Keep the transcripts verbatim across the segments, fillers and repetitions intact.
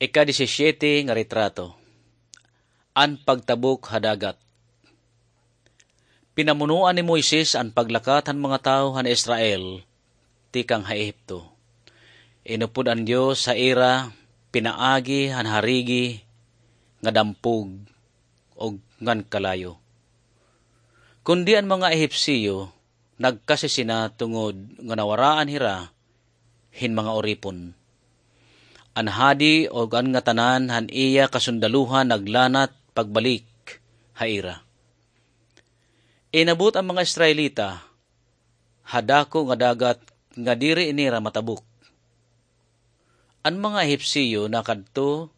Ika-disisiyete nga retrato. An pagtabok ha dagat. Pinamunoan ni Moises an paglakat han mga tawo han Israel tikang ha Ehipto. Inupod an Dios ha ira pinaagi han harigi nga dampog ug ngan kalayo. Kundi an mga Ehipsyo nagkasisina tungod nga nawaraan hira hin mga uripon. An hadi ug an ngatanan han iya kasundaluhan naglanat pagbalik ha ira. Inabot an mga Israelita ha dako nga dagat nga diri nira matabok. An mga Ehipsyo nakadto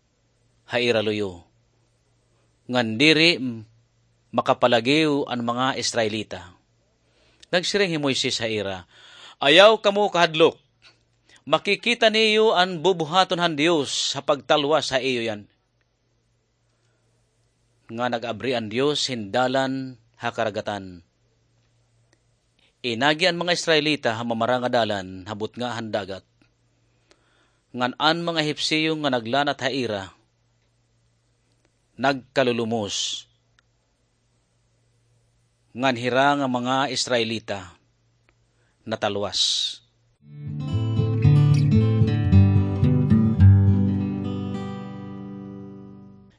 ha ira luyo, ngan diri m-, makapalagiw an mga Israelita. Nagsiring hi Moises ha ira, "Ayaw kamo kahadlok. Makikita niyo an bubuhaton han Dios ha pagtalwas ha iyo yana." Nga nag-abri an Dios hin dalan ha karagatan. Inagi an mga Israelita ha mamara nga dalan ha butnga han dagat. Ngan an mga Ehipsyo nga naglanat ha ira, nagkalulumos. Ngan hira nga mga Israelita natalwas.